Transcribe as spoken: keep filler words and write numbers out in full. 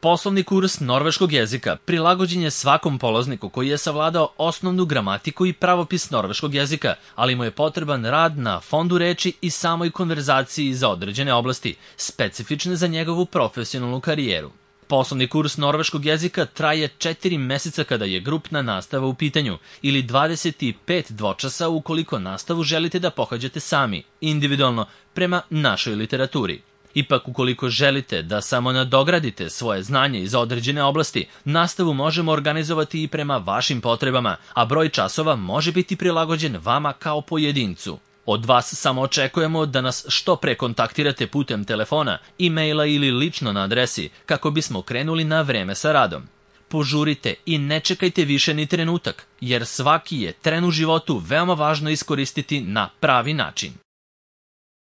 Poslovni kurs norveškog jezika prilagođen je svakom polazniku koji je savladao osnovnu gramatiku i pravopis norveškog jezika, ali mu je potreban rad na fondu reči i samoj konverzaciji za određene oblasti, specifične za njegovu profesionalnu karijeru. Poslovni kurs norveškog jezika traje četiri meseca kada je grupna nastava u pitanju ili dvadeset pet dvočasa ukoliko nastavu želite da pohađate sami, individualno, prema našoj literaturi. Ipak, ukoliko želite da samo nadogradite svoje znanje iz određene oblasti, nastavu možemo organizovati i prema vašim potrebama, a broj časova može biti prilagođen vama kao pojedincu. Od vas samo očekujemo da nas što pre kontaktirate putem telefona, e-maila ili lično na adresi kako bismo krenuli na vreme sa radom. Požurite i ne čekajte više ni trenutak, jer svaki je tren u životu veoma važno iskoristiti na pravi način.